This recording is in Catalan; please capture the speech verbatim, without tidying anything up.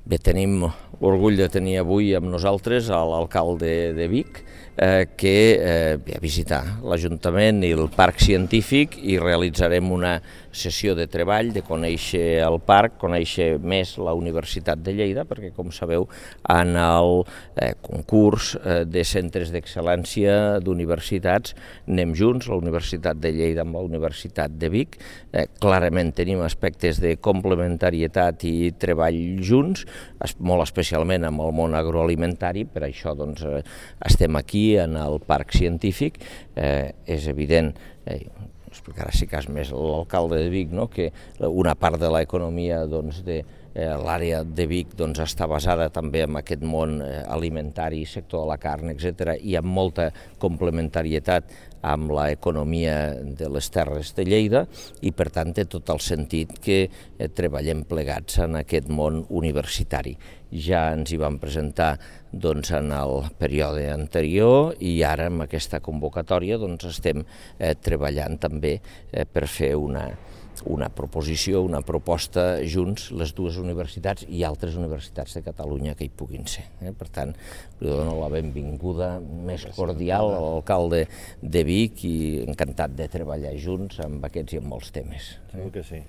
Bé, tenim l'orgull de tenir avui amb nosaltres l'alcalde de Vic, eh, que eh, ve a visitar l'Ajuntament i el Parc Científic i realitzarem una sessió de treball, de conèixer el parc, conèixer més la Universitat de Lleida, perquè, com sabeu, en el eh, concurs eh, de centres d'excel·lència d'universitats anem junts, la Universitat de Lleida amb la Universitat de Vic. Eh, clarament tenim aspectes de complementarietat i treball junts, molt especialment amb el món agroalimentari, per això doncs, eh, estem aquí en el Parc Científic. Eh, és evident, eh, explicarà si cas més l'alcalde de Vic, no? que una part de l'economia doncs, de eh, l'àrea de Vic doncs, està basada també en aquest món eh, alimentari, sector de la carn, etcètera, i amb molta complementarietat amb l'economia de les terres de Lleida, i per tant té tot el sentit que eh, treballem plegats en aquest món universitari. Ja ens hi vam presentar doncs, en el període anterior i ara amb aquesta convocatòria doncs, estem eh, treballant també eh, per fer una, una proposició, una proposta junts, les dues universitats i altres universitats de Catalunya que hi puguin ser. Eh? Per tant, li dono la benvinguda més cordial a l'alcalde de Vic i encantat de treballar junts amb aquests i amb molts temes. Segur que sí.